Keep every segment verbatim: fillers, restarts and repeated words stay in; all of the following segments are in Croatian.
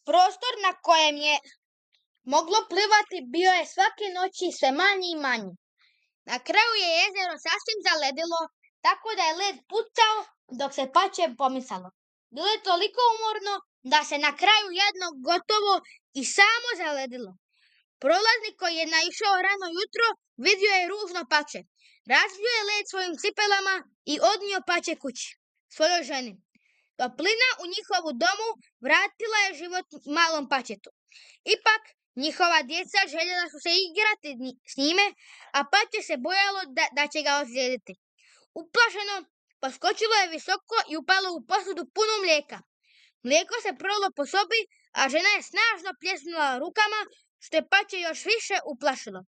Prostor na kojem je moglo plivati bio je svake noći sve manji i manji. Na kraju je jezero sasvim zaledilo, tako da je led pucao dok se pače pomicalo. Bilo je toliko umorno da se na kraju jedno gotovo i samo zaledilo. Prolaznik koji je naišao rano jutro vidio je ružno pače. Razbio je led svojim cipelama i odnio pače kući, svojoj ženi. Toplina u njihovu domu vratila je život malom pačetu. Ipak, njihova djeca željela su se igrati s njime, a pače se bojalo da, da će ga ozlijediti. Uplašeno, poskočilo je visoko i upalo u posudu punu mlijeka. Mlijeko se prolilo po sobi, a žena je snažno pljesnula rukama, što je pače još više uplašilo.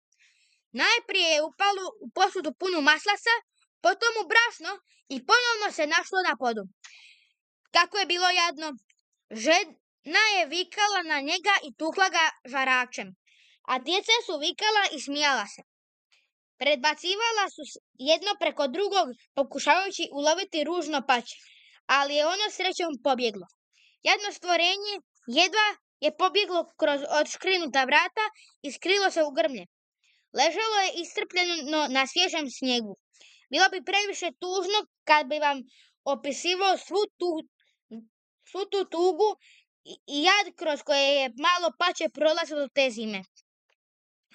Najprije je upalo u posudu punu maslasa, potom u brašno i ponovno se našlo na podu. Kako je bilo jadno! Žena je vikala na njega i tukla ga žaračem, a djeca su vikala i smijala se. Predbacivala su jedno preko drugog, pokušavajući uloviti ružno pače, ali je ono srećom pobjeglo. Jedno stvorenje jedva je pobjeglo kroz odškrinuta vrata i skrilo se u grmlje. Ležalo je iscrpljeno na svježem snijegu. Bilo bi previše tužno kad bi vam opisivao svu tu, svu tu tugu i, i jad kroz koje je malo pače prolazilo te zime.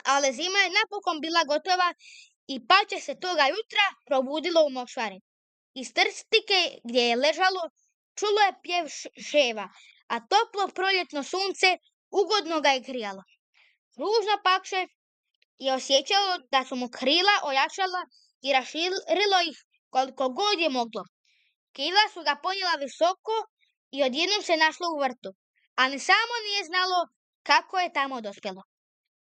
Ali zima je napokon bila gotova i pače se toga jutra probudilo u močvari. Iz trstike gdje je ležalo čulo je pjev ševa, a toplo proljetno sunce ugodno ga je grijalo. Ružno pače je osjećalo da su mu krila ojačala i raširilo ih koliko god je moglo. Krila su ga ponijela visoko i odjednom se našlo u vrtu, a ni samo nije znalo kako je tamo dospjelo.